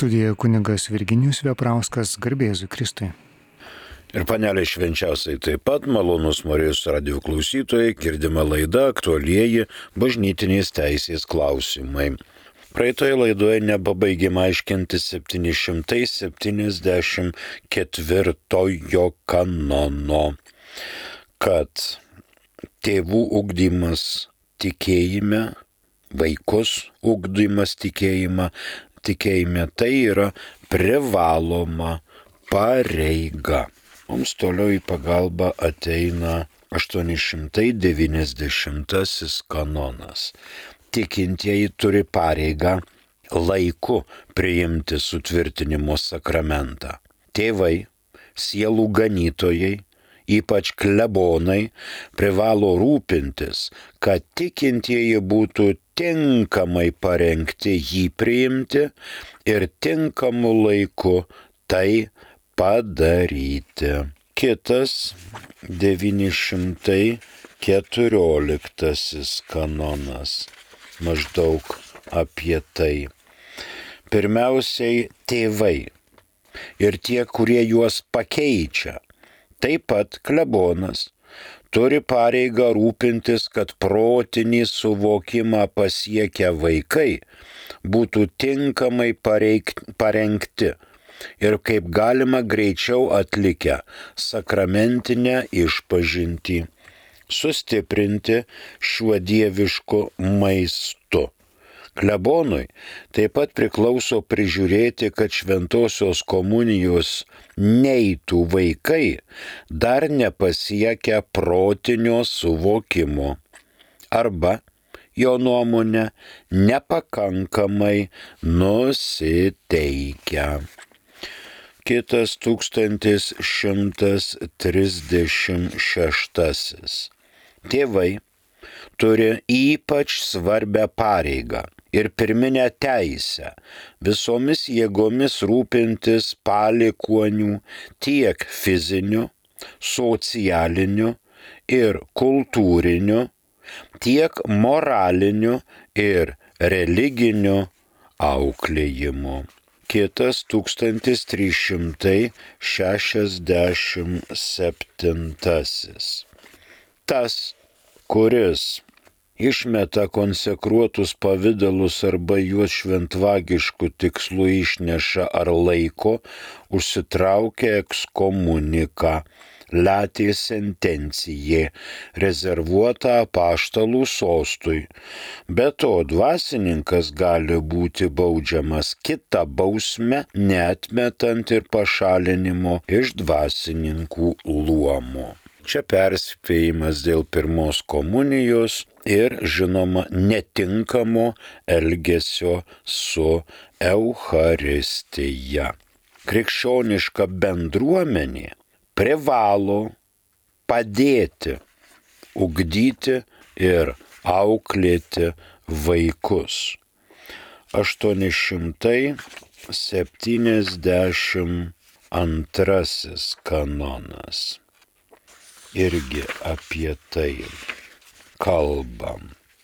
Studijoje kunigas Virginijus Veprauskas, garbė Jėzui Kristui. Ir panelė švenčiausiai taip pat, malonus Marijos radijo klausytojai, girdima laida aktualieji bažnytinės teisės klausimai. Praeitoje laidoje nepabaigėme aiškinti 774 kanono, kad tėvų ugdymas tikėjime, vaikus ugdymas tikėjime tai yra privaloma pareiga. Mums toliau į pagalbą ateina 890 kanonas. Tikintieji turi pareigą laiku priimti sutvirtinimo sakramentą. Tėvai, sielų ganytojai, ypač klebonai, privalo rūpintis, kad tikintieji būtų tinkamai parengti jį priimti ir tinkamu laiku tai padaryti. Kitas 914 kanonas maždaug apie tai. Pirmiausiai tėvai ir tie, kurie juos pakeičia, taip pat klebonas, turi pareigą rūpintis, kad protinį suvokimą pasiekę vaikai būtų tinkamai parengti ir kaip galima greičiau atlikę sakramentinę išpažintį, sustiprinti šiuo dievišku maistu. Klebonui taip pat priklauso prižiūrėti, kad šventosios komunijos neitų vaikai dar nepasiekę protinio suvokimo arba, jo nuomonė, nepakankamai nusiteikę. Kitas 1136. Tėvai turi ypač svarbią pareigą ir pirminę teisę visomis jėgomis rūpintis palikuonių tiek fiziniu, socialiniu ir kultūriniu, tiek moraliniu ir religiniu auklėjimu. Kitas 1367. Tas, kuris išmeta konsekruotus pavidalus arba juos šventvagiškų tikslų išneša ar laiko, užsitraukia ekskomuniką, latė sentencijė, rezervuota apaštalų sostui. Be to, dvasininkas gali būti baudžiamas kita bausme, neatmetant ir pašalinimo iš dvasininkų luomo. Čia perspėjimas dėl pirmos komunijos ir, žinoma, netinkamo elgesio su Eucharistija. Krikščioniška bendruomenė privalo padėti, ugdyti ir auklėti vaikus. 872 kanonas. Irgi apie tai kalbam.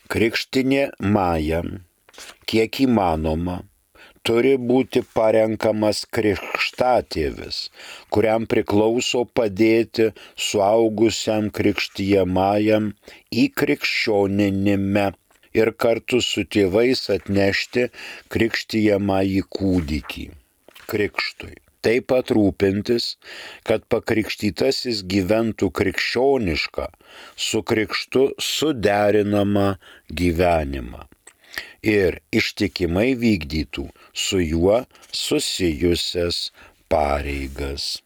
Krikštinė majam, kiek įmanoma, turi būti parenkamas krikštatėvis, kuriam priklauso padėti suaugusiam krikštijamajam įkrikščioninime ir kartu su tėvais atnešti krikštijamąjį kūdikį krikštui. Taip pat rūpintis, kad pakrikštytasis gyventų krikščionišką, su krikštu suderinamą gyvenimą ir ištikimai vykdytų su juo susijusias pareigas.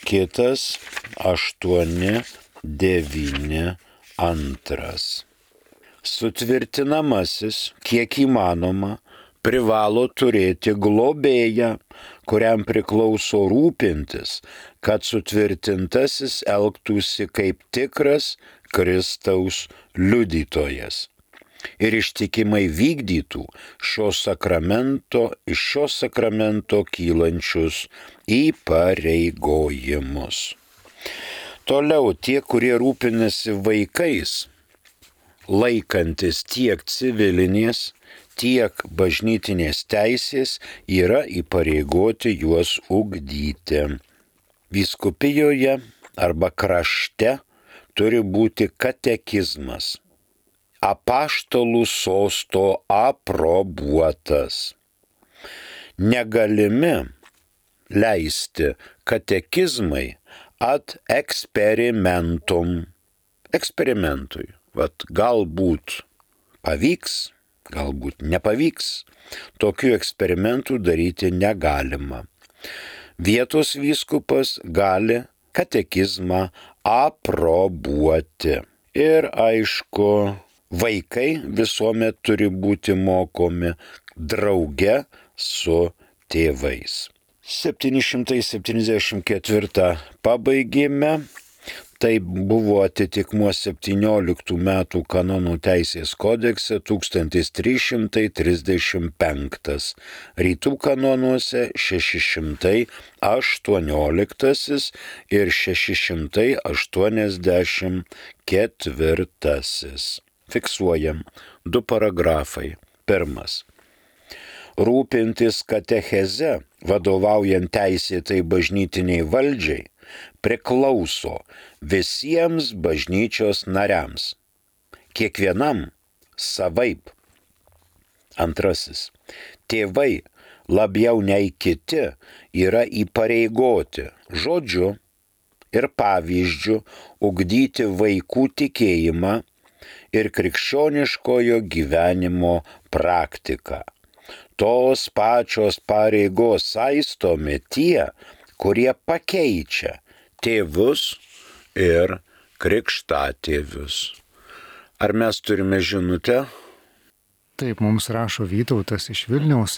Kitas 892. Sutvirtinamasis, kiek įmanoma, privalo turėti globėją, kuriam priklauso rūpintis, kad sutvirtintasis elgtųsi kaip tikras Kristaus liudytojas ir ištikimai vykdytų iš šio sakramento kylančius įpareigojimus. Toliau tie, kurie rūpinasi vaikais, laikantis tiek civilinės, tiek bažnytinės teisės yra įpareigoti juos ugdyti. Vyskupijoje arba krašte turi būti katekizmas, apaštalų sosto aprobuotas. Negalimi leisti katekizmai ad eksperimentui. Galbūt pavyks, galbūt nepavyks. Tokių eksperimentų daryti negalima. Vietos vyskupas gali katekizmą aprobuoti. Ir aišku, vaikai visuomet turi būti mokomi drauge su tėvais. 774 pabaigėme. Tai buvo atitikmuo 17 metų kanonų teisės kodekse 1335. Rytų kanonuose 618 ir 684. Fiksuojam 2 paragrafai. 1. Rūpintis katecheze, vadovaujant teisėtai bažnytiniai valdžiai, priklauso visiems bažnyčios nariams, kiekvienam savaip. 2. Tėvai labiau nei kiti yra įpareigoti žodžiu ir pavyzdžiu ugdyti vaikų tikėjimą ir krikščioniškojo gyvenimo praktiką. Tos pačios pareigos saistomi tie, kurie pakeičia tėvus ir krikštatėvius. Ar mes turime žinutę? Taip, mums rašo Vytautas iš Vilniaus.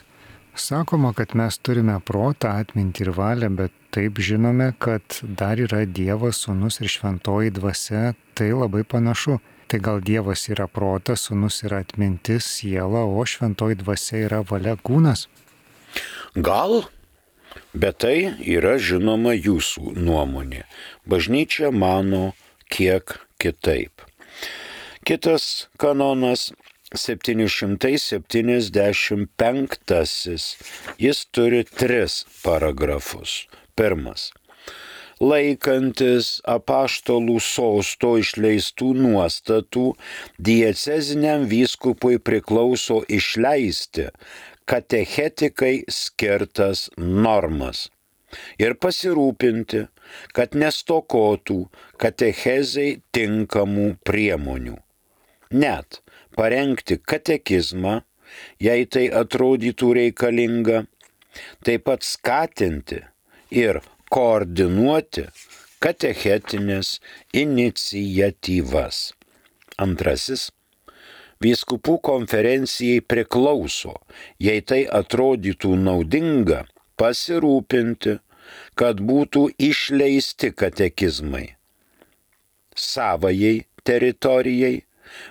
Sakoma, kad mes turime protą, atmintį ir valią, bet taip žinome, kad dar yra Dievas, Sūnus ir Šventoji Dvasia. Tai labai panašu. Tai gal Dievas yra protas, Sūnus yra atmintis, siela, o Šventoji Dvasia yra valia, kūnas? Gal? Bet tai yra žinoma jūsų nuomonė. Bažnyčia mano kiek kitaip. Kitas kanonas 775. Jis turi 3 paragrafus. 1. Laikantis apaštalų sosto išleistų nuostatų, dieceziniam vyskupui priklauso išleisti katechetikai skirtas normas ir pasirūpinti, kad nestokotų katechezei tinkamų priemonių. Net parengti katekizmą, jei tai atrodytų reikalinga, taip pat skatinti ir koordinuoti katechetinės iniciatyvas. 2. Vyskupų konferencijai priklauso, jei tai atrodytų naudinga, pasirūpinti, kad būtų išleisti katekizmai savajai teritorijai,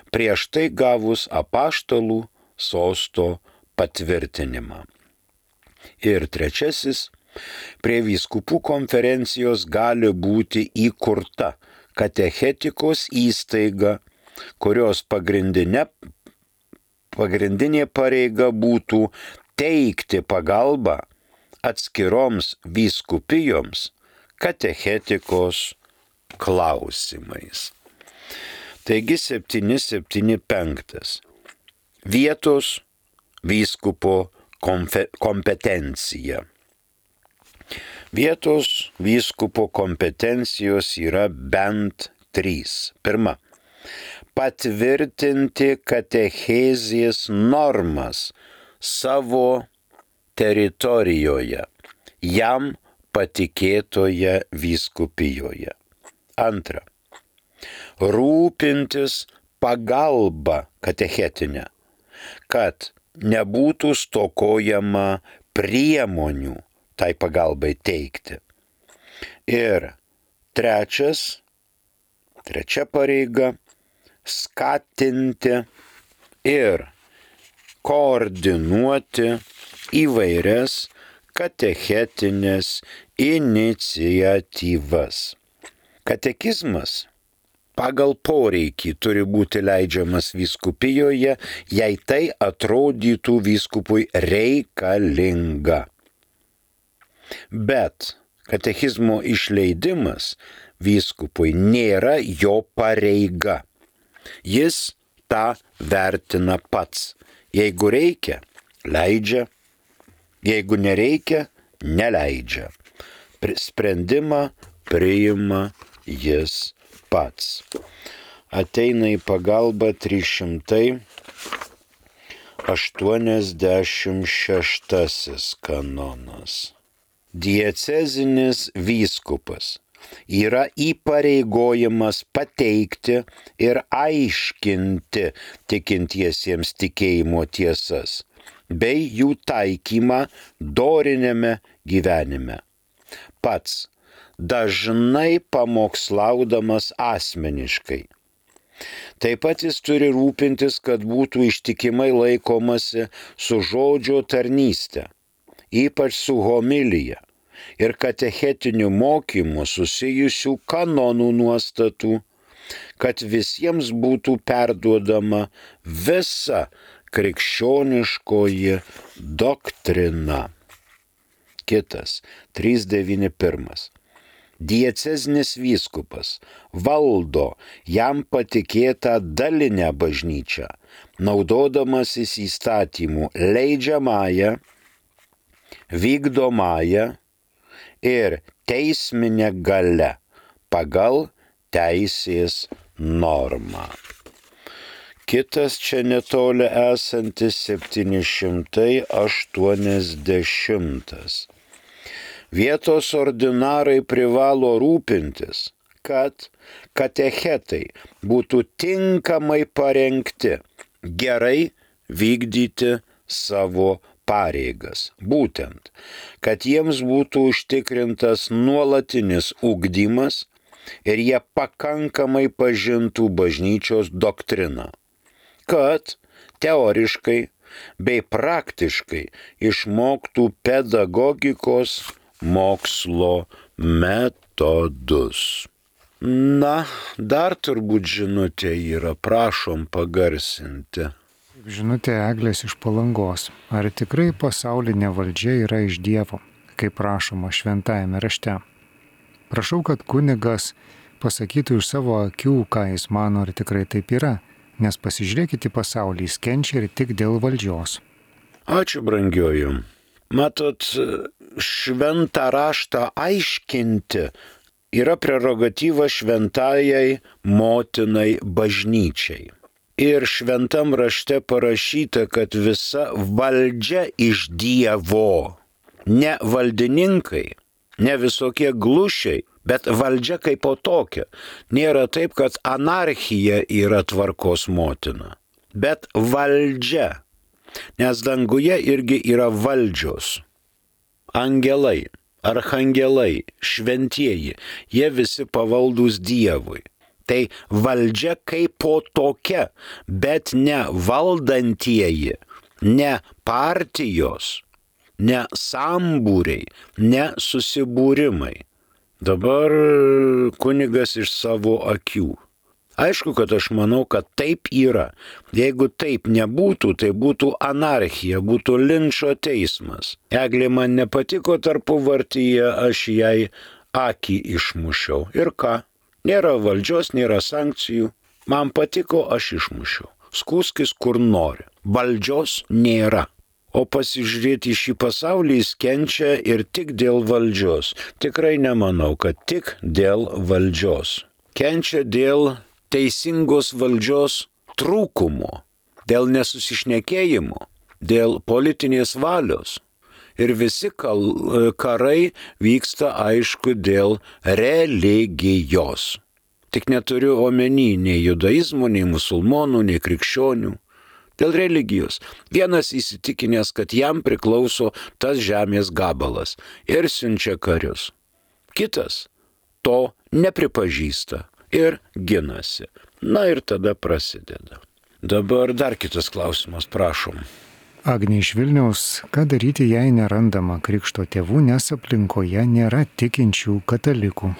prieš tai gavus apaštalų sosto patvirtinimą. Ir 3. Prie vyskupų konferencijos gali būti įkurta katechetikos įstaiga, kurios pagrindinė pareiga būtų teikti pagalbą atskiroms vyskupijoms katechetikos klausimais. Taigi 775. Vietos vyskupo kompetencija. Vietos vyskupo kompetencijos yra bent 3. 1. Patvirtinti katechezės normas savo teritorijoje, jam patikėtoje vyskupijoje. 2. Rūpintis pagalba katechetinę, kad nebūtų stokojama priemonių tai pagalbai teikti. Ir 3. pareiga – skatinti ir koordinuoti įvairias katechetinės iniciatyvas. Katekizmas pagal poreikį turi būti leidžiamas vyskupijoje, jei tai atrodytų vyskupui reikalinga. Bet katechizmo išleidimas vyskupui nėra jo pareiga. Jis tą vertina pats. Jeigu reikia, leidžia. Jeigu nereikia, neleidžia. Sprendimą priima jis pats. Ateina į pagalbą 386 kanonas. Diecezinis vyskupas yra įpareigojimas pateikti ir aiškinti tikintiesiems tikėjimo tiesas, bei jų taikymą doriniame gyvenime. Pats dažnai pamokslaudamas asmeniškai. Taip pat jis turi rūpintis, kad būtų ištikimai laikomasi su žodžio tarnyste, ypač su homilija ir katechetiniu mokymu susijusių kanonų nuostatų, kad visiems būtų perduodama visa krikščioniškoji doktrina. Kitas, 391. Diecezinis vyskupas valdo jam patikėtą dalinę bažnyčią, naudodamasis įstatymų leidžiamąją, vykdomąją ir teisminę galią pagal teisės normą. Kitas čia netoli esantis 780. Vietos ordinarai privalo rūpintis, kad katechetai būtų tinkamai parengti, gerai vykdyti savo pareigas. Būtent, kad jiems būtų užtikrintas nuolatinis ugdymas ir jie pakankamai pažintų bažnyčios doktriną, kad teoriškai bei praktiškai išmoktų pedagogikos mokslo metodus. Na, dar turbūt žinutė yra, prašom pagarsinti. Žinutė Eglės iš Palangos. Ar tikrai pasaulinė valdžia yra iš Dievo, kaip rašoma šventajame rašte? Prašau, kad kunigas pasakytų iš savo akių, ką jis mano, ar tikrai taip yra, nes pasižiūrėkite į pasaulį, jis kenčia ir tik dėl valdžios. Ačiū, brangioju. Matot, šventą raštą aiškinti yra prerogatyva šventajai motinai bažnyčiai. Ir šventam rašte parašyta, kad visa valdžia iš Dievo, ne valdininkai, ne visokie glušiai, bet valdžia kaip po tokia. Nėra taip, kad anarchija yra tvarkos motina, bet valdžia. Nes danguje irgi yra valdžios. Angelai, archangelai, šventieji, jie visi pavaldūs Dievui. Tai valdžia kaip po tokia, bet ne valdantieji, ne partijos, ne sambūriai, ne susibūrimai. Dabar kunigas iš savo akių. Aišku, kad aš manau, kad taip yra. Jeigu taip nebūtų, tai būtų anarchija, būtų linčo teismas. Eglė man nepatiko tarpuvartyje, aš jai akį išmušiau. Ir ką? Nėra valdžios, nėra sankcijų. Man patiko, aš išmušiau. Skųskis kur nori. Valdžios nėra. O pasižiūrėti į šį pasaulį jis kenčia ir tik dėl valdžios. Tikrai nemanau, kad tik dėl valdžios. Kenčia dėl teisingos valdžios trūkumo, dėl nesusišnekėjimo, dėl politinės valios. Ir visi karai vyksta, aišku, dėl religijos. Tik neturiu omeny nei judaizmo, nei musulmonų, nei krikščionių. Dėl religijos. Vienas įsitikinęs, kad jam priklauso tas žemės gabalas ir siunčia karius. Kitas to nepripažįsta ir ginasi. Na ir tada prasideda. Dabar dar kitas klausimas, prašom. Agnė iš Vilniaus, ką daryti, jei nerandama krikšto tėvų, nes aplinkoje nėra tikinčių katalikų?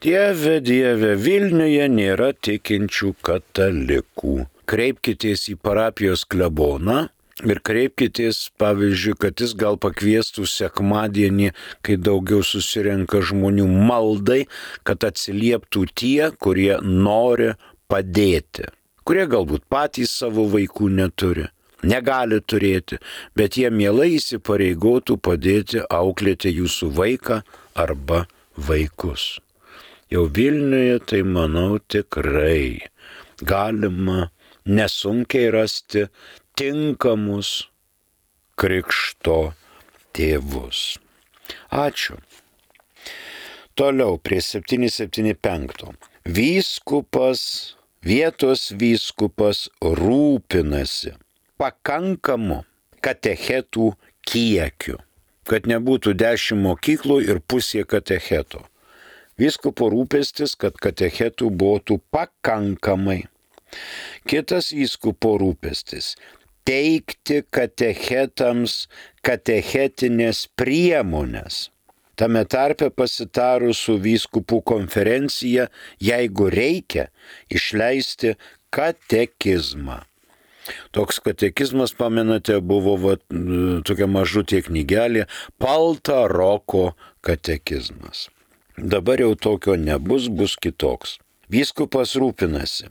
Dieve, Dieve, Vilniuje nėra tikinčių katalikų. Kreipkitės į parapijos kleboną ir kreipkitės, pavyzdžiui, kad jis gal pakviestų sekmadienį, kai daugiau susirenka žmonių, maldai, kad atsilieptų tie, kurie nori padėti, kurie galbūt patys savo vaikų neturi, negali turėti, bet jie mielai įsipareigotų padėti auklėti jūsų vaiką arba vaikus. Jau Vilniuje, tai manau, tikrai galima nesunkiai rasti tinkamus krikšto tėvus. Ačiū. Toliau prie 775. Vietos vyskupas rūpinasi pakankamu katechetų kiekiu, kad nebūtų 10 mokyklų ir pusė katecheto. Vyskupo rūpestis, kad katechetų būtų pakankamai. Kitas vyskupo rūpestis – teikti katechetams katechetinės priemonės. Tame tarpe pasitarus su vyskupų konferencija, jeigu reikia, išleisti katekizmą. Toks katekizmas, pamenate, buvo tokia mažutė knygelė Paltaroko katekizmas. Dabar jau tokio nebus, bus kitoks. Vyskupas rūpinasi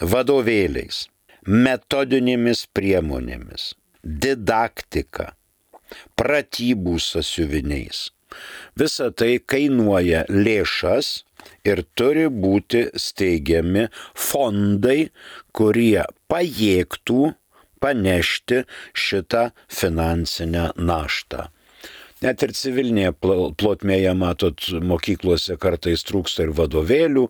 vadovėliais, metodinėmis priemonėmis, didaktika, pratybų sąsiuviniais. Visa tai kainuoja lėšas ir turi būti steigiami fondai, kurie pajėgtų panešti šitą finansinę naštą. Net ir civilinėje plotmėje, matot, mokyklose kartais trūksta ir vadovėlių,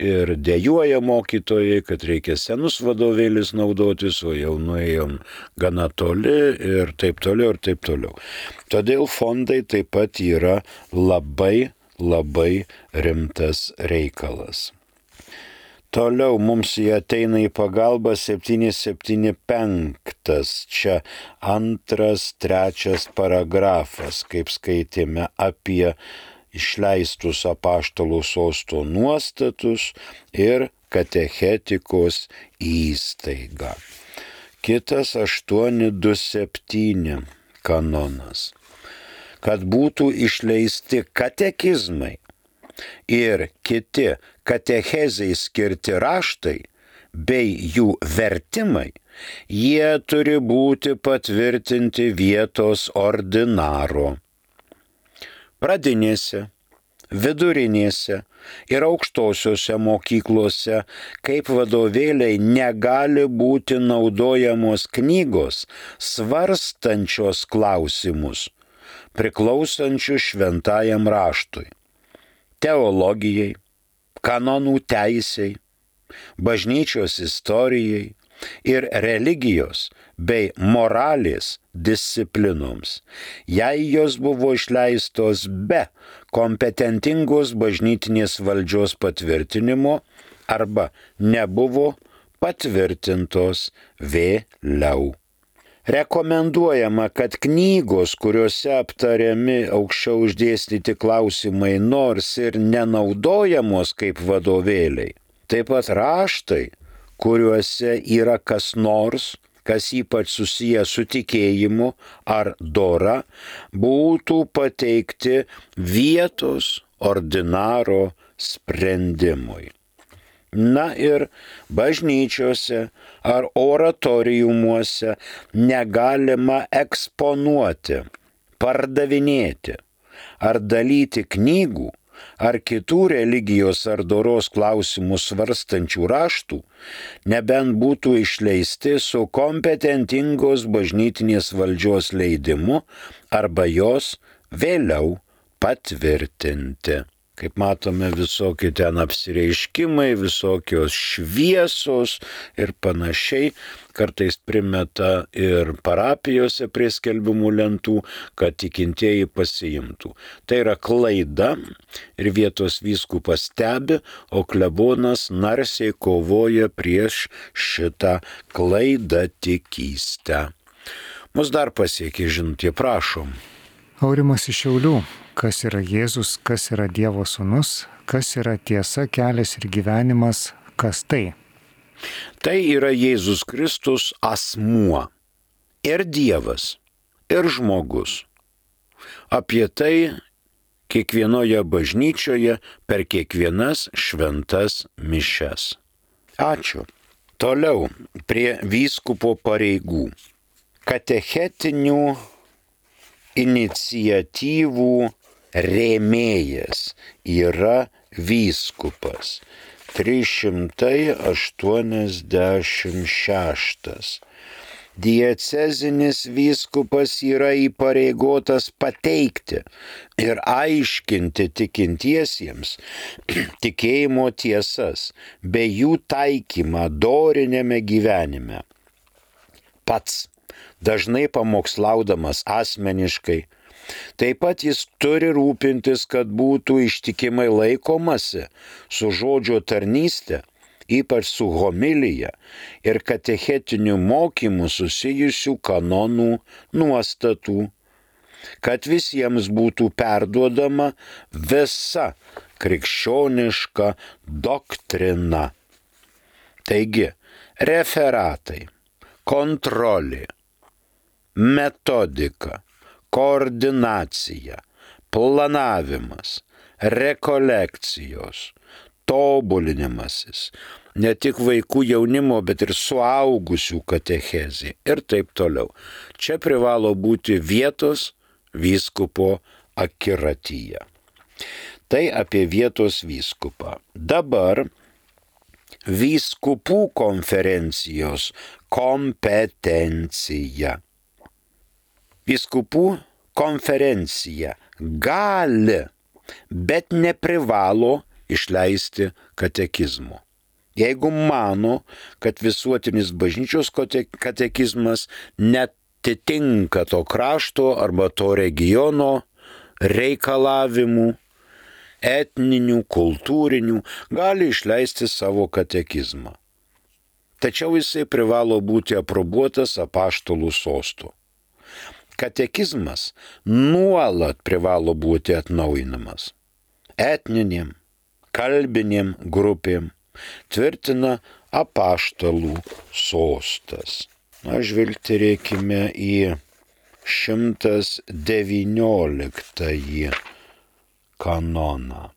ir dejuoja mokytojai, kad reikia senus vadovėlius naudotis, o jau nuėjom gana toli ir taip toliau, ir taip toliau. Todėl fondai taip pat yra labai rimtas reikalas. Toliau mums jie ateina į pagalbą 775, čia 2-3 paragrafas, kaip skaitėme apie išleistus apaštalų sosto nuostatus ir katechetikos įstaigą. Kitas 827 kanonas, kad būtų išleisti katekizmai ir kiti katechezei skirti raštai bei jų vertimai, jie turi būti patvirtinti vietos ordinaro. Pradinėse, vidurinėse ir aukštosiuose mokyklose kaip vadovėliai negali būti naudojamos knygos svarstančios klausimus, priklausančius šventajam raštui, teologijai, kanonų teisei, bažnyčios istorijai ir religijos bei moralės disciplinoms, jei jos buvo išleistos be kompetentingos bažnytinės valdžios patvirtinimo arba nebuvo patvirtintos vėliau. Rekomenduojama, kad knygos, kuriuose aptariami aukščiau išdėstyti klausimai, nors ir nenaudojamos kaip vadovėliai, taip pat raštai, kuriuose yra kas nors, kas ypač susiję su tikėjimu ar dora, būtų pateikti vietos ordinaro sprendimui. Na ir bažnyčiose ar oratoriumuose negalima eksponuoti, pardavinėti ar dalyti knygų ar kitų religijos ar doros klausimus svarstančių raštų, nebent būtų išleisti su kompetentingos bažnytinės valdžios leidimu arba jos vėliau patvirtinti. Kaip matome, visokie ten apsireiškimai, visokios šviesos ir panašiai, kartais primeta ir parapijose prie skelbimų lentų, kad tikintieji pasiimtų. Tai yra klaida ir vietos vyskupas stebi, o klebonas narsiai kovoja prieš šitą klaidatikystę. Mus dar pasiekė žinutė, prašom. Aurimas iš Šiaulių. Kas yra Jėzus, kas yra Dievo sūnus, Kas yra tiesa, kelias ir gyvenimas, kas tai? Tai yra Jėzus Kristus asmuo. Ir Dievas, ir žmogus. Apie tai kiekvienoje bažnyčioje per kiekvienas šventas mišias. Ačiū. Toliau prie vyskupo pareigų. Katechetinių iniciatyvų rėmėjas yra vyskupas. 386. Diecezinis vyskupas yra įpareigotas pateikti ir aiškinti tikintiesiems tikėjimo tiesas bei jų taikymą doriniame gyvenime. Pats, dažnai pamokslaudamas asmeniškai, taip pat jis turi rūpintis, kad būtų ištikimai laikomasi su žodžio tarnyste, ypač su homilija ir katechetiniu mokymu susijusių kanonų nuostatų, kad visiems būtų perduodama visa krikščioniška doktrina. Taigi, referatai, kontrolė, metodika, koordinacija, planavimas, rekolekcijos, tobulinimasis, ne tik vaikų jaunimo, bet ir suaugusių katechezė ir taip toliau. Čia privalo būti vietos vyskupo akiratyje. Tai apie vietos vyskupą. Dabar vyskupų konferencijos kompetencija. Vyskupų konferencija gali, bet neprivalo išleisti katekizmo. Jeigu mano, kad visuotinis bažnyčios katekizmas netitinka to krašto arba to regiono reikalavimų, etninių, kultūrinių, gali išleisti savo katekizmą. Tačiau jisai privalo būti aprobuotas apaštalų sostu. Katekizmas nuolat privalo būti atnaujinamas. Etninėm, kalbinėm grupėm tvirtina apaštalų sostas. Žvilgterėkime į 119 kanoną.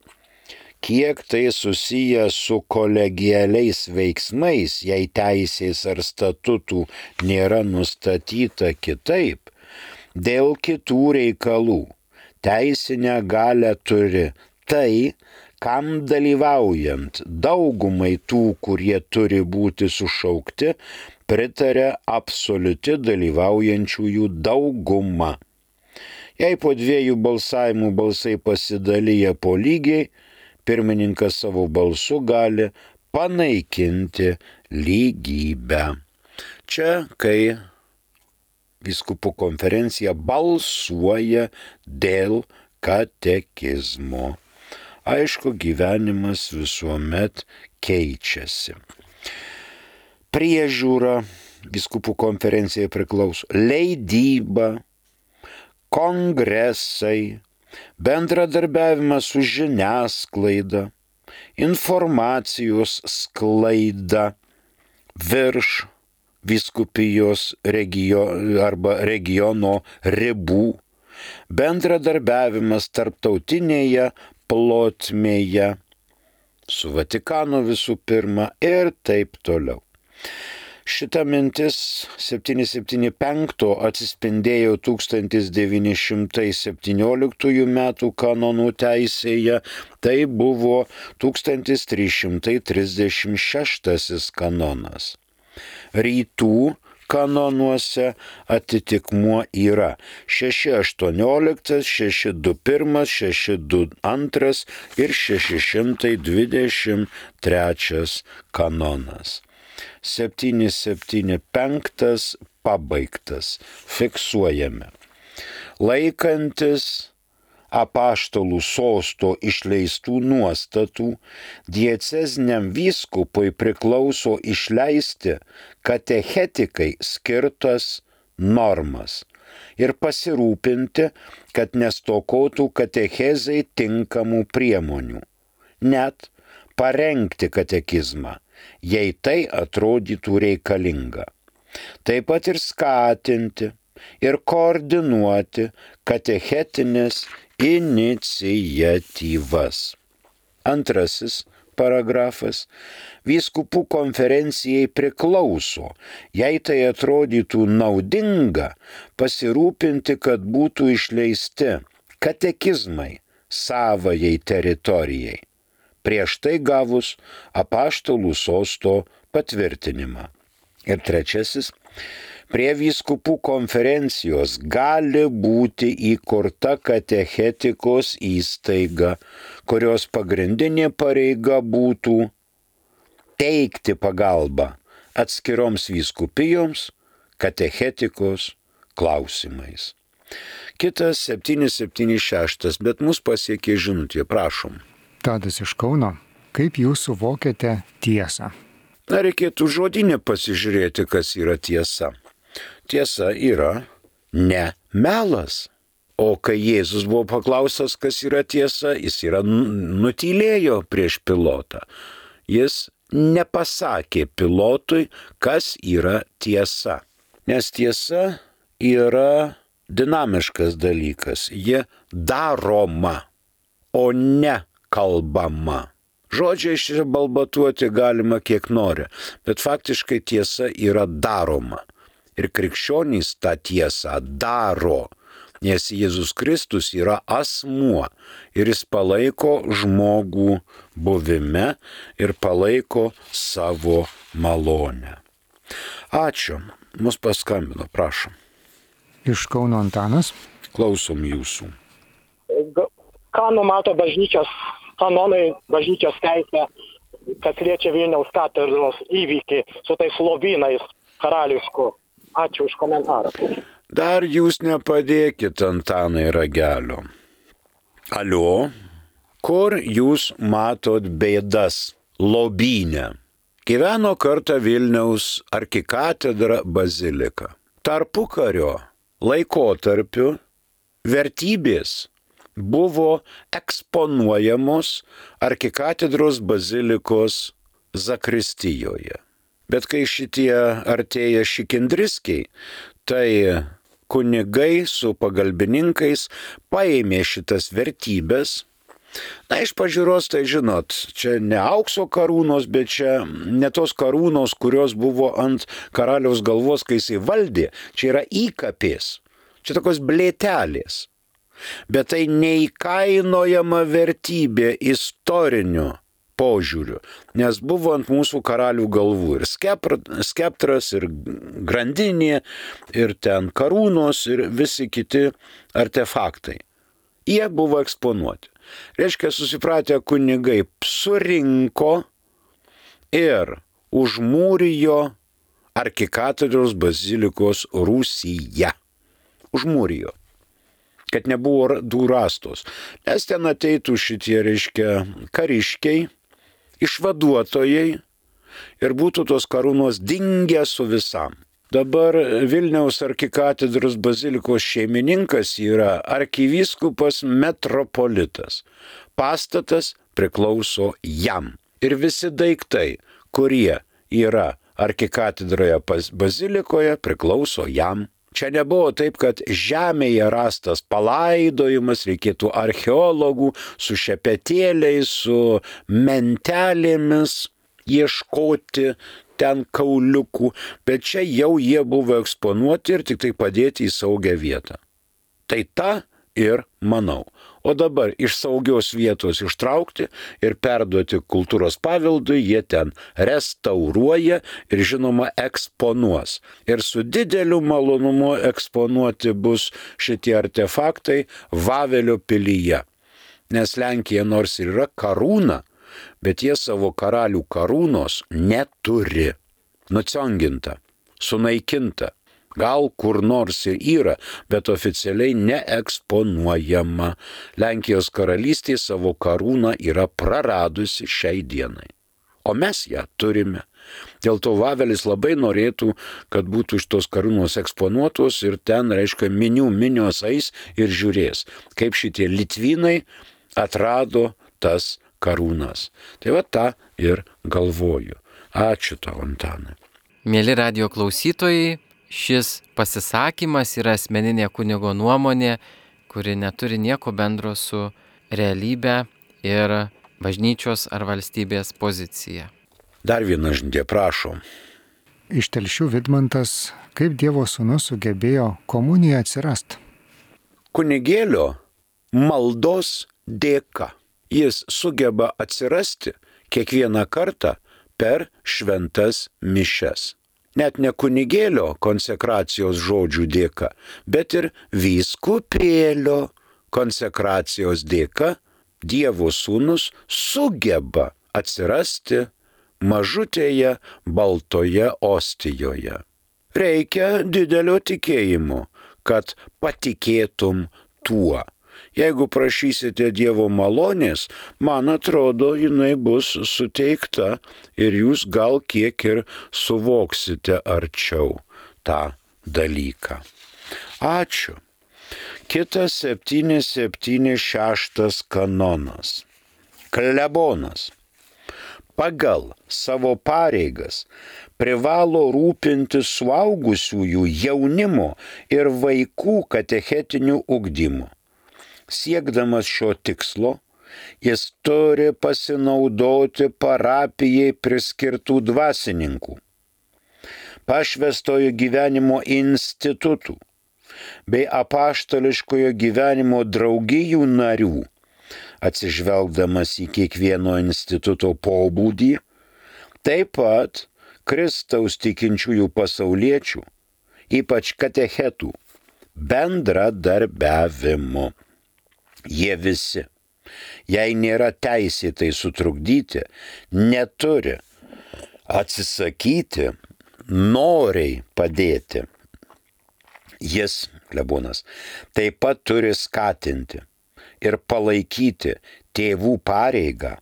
Kiek tai susiję su kolegialiais veiksmais, jei teisės ar statutų nėra nustatyta kitaip, dėl kitų reikalų teisinę galią turi tai, kam dalyvaujant daugumai tų, kurie turi būti sušaukti, pritarė absoliuti dalyvaujančiųjų dauguma. Jei po 2 balsavimų balsai pasidalyja po lygiai, pirmininkas savo balsu gali panaikinti lygybę. Čia, kai vyskupų konferencija balsuoja dėl katekizmo. Aišku, gyvenimas visuomet keičiasi. Priežiūra vyskupų konferencijai priklauso, leidyba, kongresai, bendradarbiavimas su žiniasklaida, informacijos sklaida virš vyskupijos regiono ribų, bendradarbiavimas tarptautinėje plotmėje, su Vatikanu visų pirma ir taip toliau. Šita mintis 775 atsispindėjo 1917 metų kanonų teisėje, tai buvo 1336 kanonas. Rytų kanonuose atitikmuo yra 618, 621, 622 ir 623 kanonas. 775 pabaigtas. Fiksuojame. Laikantis apaštalų sosto išleistų nuostatų, dieceziniam vyskupui priklauso išleisti katechetikai skirtas normas ir pasirūpinti, kad nestokotų katechezai tinkamų priemonių. net parengti katekizmą, jei tai atrodytų reikalinga. Taip pat ir skatinti ir koordinuoti katechetinės iniciatyvas. Antrasis paragrafas. Vyskupų konferencijai priklauso, jei tai atrodytų naudinga, pasirūpinti, kad būtų išleisti katekizmai savajai teritorijai, prieš tai gavus apaštalų sosto patvirtinimą. Ir trečiasis. Prie vyskupų konferencijos gali būti įkurta katechetikos įstaiga, kurios pagrindinė pareiga būtų teikti pagalbą atskiroms vyskupijoms katechetikos klausimais. Kitas 776, bet mus pasiekė žinutė, prašom. Tadas iš Kauno. Kaip jūs suvokiate tiesą? Na, reikėtų žodinę pasižiūrėti, kas yra tiesa. Tiesa yra ne melas. O kai Jėzus buvo paklaustas, kas yra tiesa, jis nutylėjo prieš pilotą. Jis nepasakė pilotui, kas yra tiesa. Nes tiesa yra dinamiškas dalykas. Ji daroma, o ne kalbama. Žodžiai išbalbatuoti galima kiek nori, bet faktiškai tiesa yra daroma. Ir krikščionys tą tiesą daro, nes Jėzus Kristus yra asmuo ir jis palaiko žmogų buvime ir palaiko savo malonę. Ačiū. Mus paskambino, prašom. Iš Kauno Antanas. Klausom jūsų. Ką numato bažnyčios kanonai, bažnyčios teisė, kas liečia Vilniaus katedros įvykį su tais lobynais karališkų? Ačiū už komentarą. Dar jūs nepadėkit Antanai ragelio. Alio, kur jūs matot bėdas lobyne? Gyveno kartą Vilniaus arkikatedra bazilika. Tarpukario laikotarpiu vertybės buvo eksponuojamos arkikatedros bazilikos zakristijoje. Bet kai šitie artėja šikindriskiai, tai kunigai su pagalbininkais paėmė šitas vertybės. Na, iš pažiūros, tai žinot, čia ne aukso karūnos, bet čia ne tos karūnos, kurios buvo ant karaliaus galvos, kai jisai valdė. Čia yra įkapės. Čia tokios blėtelės. Bet tai neįkainojama vertybė istoriniu požiūriu, nes buvo ant mūsų karalių galvų ir skeptras, ir grandinė, ir ten karūnos, ir visi kiti artefaktai. Jie buvo eksponuoti. Reiškia, susipratę kunigai surinko ir užmūrijo arkikatedros bazilikos rūsyje. Užmūrijo. Kad nebuvo rastos. Nes ten ateitų šitie, reiškia, kariškiai, išvaduotojai ir būtų tos karūnos dingę su visam. Dabar Vilniaus arkikatedros bazilikos šeimininkas yra arkivyskupas metropolitas. Pastatas priklauso jam. Ir visi daiktai, kurie yra arkikatedroje bazilikoje, priklauso jam. Čia nebuvo taip, kad žemėje rastas palaidojimas, reikėtų archeologų su šepetėliais, su mentelėmis ieškoti ten kauliukų, bet čia jau jie buvo eksponuoti ir tik tai padėti į saugią vietą. Tai tą ir manau. O dabar iš saugios vietos ištraukti ir perduoti kultūros paveldui, jie ten restauruoja ir žinoma eksponuos. Ir su dideliu malonumu eksponuoti bus šitie artefaktai Vavelio pilyje. Nes Lenkija nors ir yra karūna, bet jie savo karalių karūnos neturi. Nucionginta, sunaikinta. Gal kur nors ir yra, bet oficialiai neeksponuojama. Lenkijos karalystė savo karūną yra praradusi šiai dienai. O mes ją turime. Dėl to Vavelis labai norėtų, kad būtų iš tos karūnos eksponuotos ir ten, reiškia, minios eis ir žiūrės, kaip šitie litvynai atrado tas karūnas. Tai va tą ir galvoju. Ačiū tau, Antanai. Mėly radio klausytojai, šis pasisakymas yra asmeninė kunigo nuomonė, kuri neturi nieko bendro su realybė ir bažnyčios ar valstybės pozicija. Dar viena žinutė, prašom. Iš Telšių Vidmantas, kaip Dievo sūnus sugebėjo komuniją atsirasti? Kunigėlio maldos dėka jis sugeba atsirasti kiekvieną kartą per šventas mišias. Net ne kunigėlio konsekracijos žodžių dėka, bet ir vyskupėlio konsekracijos dėka Dievo sūnus sugeba atsirasti mažutėje baltoje ostijoje. Reikia didelio tikėjimo, kad patikėtum tuo. Jeigu prašysite Dievo malonės, man atrodo, jinai bus suteikta ir jūs gal kiek ir suvoksite arčiau tą dalyką. Ačiū. Kitas 776 kanonas. Klebonas pagal savo pareigas privalo rūpintis suaugusiųjų, jaunimo ir vaikų katechetiniu ugdymu. Siekdamas šio tikslo, jis turi pasinaudoti parapijai priskirtų dvasininkų, pašvęstojo gyvenimo institutų bei apaštališkojo gyvenimo draugijų narių, atsižvelgdamas į kiekvieno instituto pobūdį, taip pat Kristaus tikinčiųjų pasauliečių, ypač katechetų, bendradarbiavimu. Jie visi, jei nėra teisėtai sutrukdyti, neturi atsisakyti, noriai padėti. Jis, klebonas, taip pat turi skatinti ir palaikyti tėvų pareigą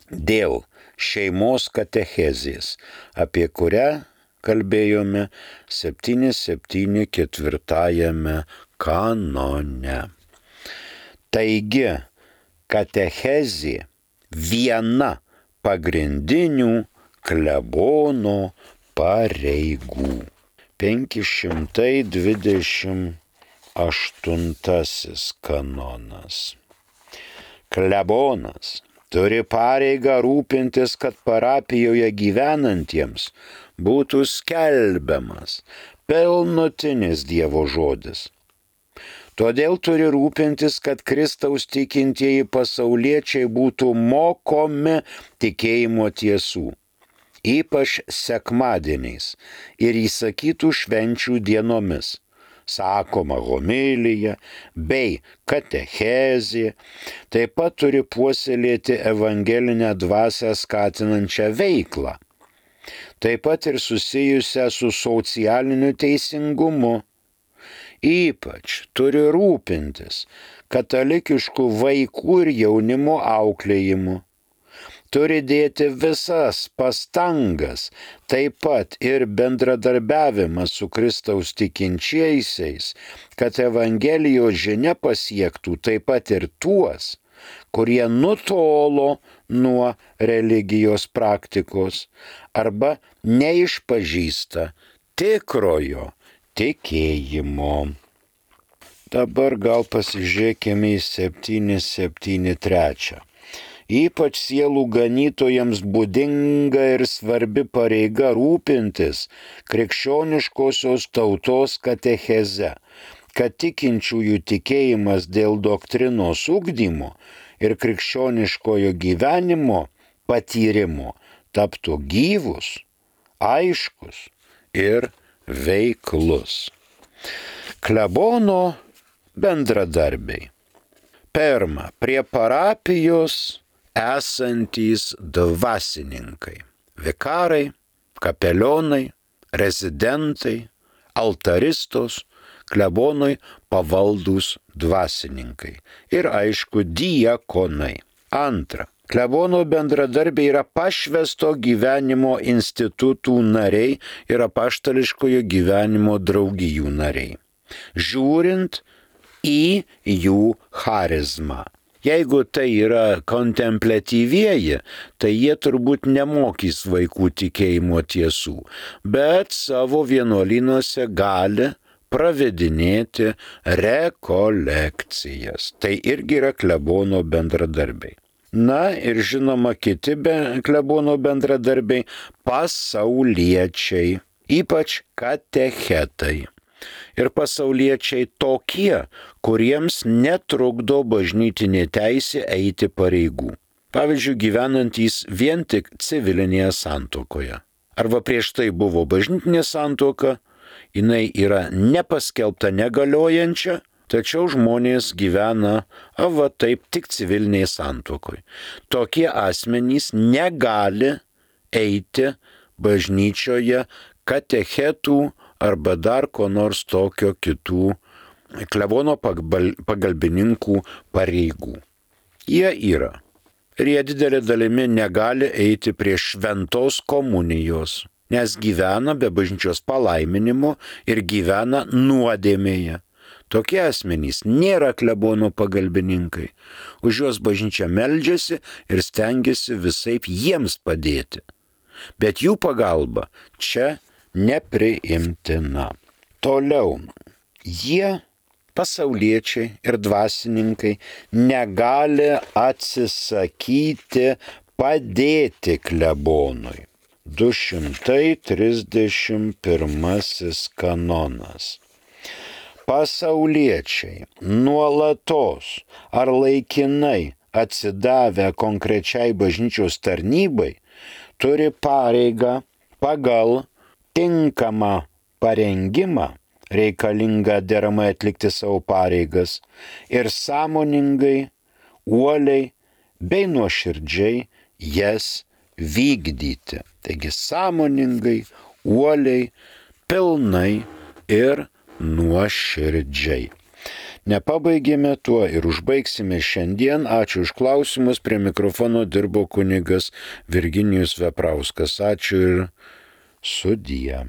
dėl šeimos katechezės, apie kurią kalbėjome 774 kanone. Taigi, katechezė viena pagrindinių klebono pareigų. 528 kanonas. Klebonas turi pareigą rūpintis, kad parapijoje gyvenantiems būtų skelbiamas pilnutinis Dievo žodis. Todėl turi rūpintis, kad Kristaus tikintieji pasauliečiai būtų mokomi tikėjimo tiesų, ypač sekmadieniais ir įsakytų švenčių dienomis, sakoma homilija bei katechezė, taip pat turi puoselėti evangelinę dvasią skatinančią veiklą, taip pat ir susijusią su socialiniu teisingumu. Ypač turi rūpintis katalikiškų vaikų ir jaunimo auklėjimu. Turi dėti visas pastangas, taip pat ir bendradarbiavimą su Kristaus tikinčiaisiais, kad Evangelijos žinia pasiektų taip pat ir tuos, kurie nutolo nuo religijos praktikos arba neišpažįsta tikrojo tikėjimo. Dabar gal pasižiūrėkime į 773. Ypač sielų ganytojams būdinga ir svarbi pareiga rūpintis krikščioniškosios tautos katecheze, kad tikinčiųjų tikėjimas dėl doktrinos ugdymo ir krikščioniškojo gyvenimo patyrimo taptų gyvus, aiškus ir veiklus. Klebono bendradarbiai. Pirma, prie parapijos esantys dvasininkai, vikarai, kapelionai, rezidentai, altaristos, klebonui pavaldūs dvasininkai ir aišku diakonai. Antra, klebono bendradarbiai yra pašvęsto gyvenimo institutų nariai ir apaštališkojo gyvenimo draugijų nariai. Žiūrint į jų charizmą. Jeigu tai yra kontempliatyvieji, tai jie turbūt nemokys vaikų tikėjimo tiesų, bet savo vienuolynuose gali pravedinėti rekolekcijas. Tai irgi yra klebono bendradarbiai. Na ir žinoma kiti klebono bendradarbiai - pasauliečiai, ypač katechetai. Ir pasauliečiai tokie, kuriems netrukdo bažnytinė teisė eiti pareigų. Pavyzdžiui, gyvenantys vien tik civilinėje santuokoje. Arba prieš tai buvo bažnytinė santuoka, jinai yra nepaskelbta negaliojančia, tačiau žmonės gyvena taip tik civilinėje santuokoje. Tokie asmenys negali eiti bažnyčioje katechetų arba dar ko nors tokio kitų klebono pagalbininkų pareigų. Jie yra. Ir jie didelė dalimi negali eiti prie šventos komunijos, nes gyvena be bažnyčios palaiminimo ir gyvena nuodėmėje. Tokie asmenys nėra klebono pagalbininkai. Už juos bažnyčia meldžiasi ir stengiasi visaip jiems padėti. Bet jų pagalba čia nepriimtina. Toliau, jie, pasauliečiai ir dvasininkai, negali atsisakyti padėti klebonui. 231 kanonas. Pasauliečiai nuolatos ar laikinai atsidavę konkrečiai bažnyčios tarnybai turi pareigą pagal tinkamą parengimą reikalingą deramai atlikti savo pareigas ir sąmoningai, uoliai bei nuoširdžiai jas vykdyti. Taigi sąmoningai, uoliai, pilnai ir nuoširdžiai. Nepabaigėme tuo ir užbaigsime šiandien. Ačiū už klausimus. Prie mikrofono dirbo kunigas Virginijus Veprauskas. Ačiū ir sudie.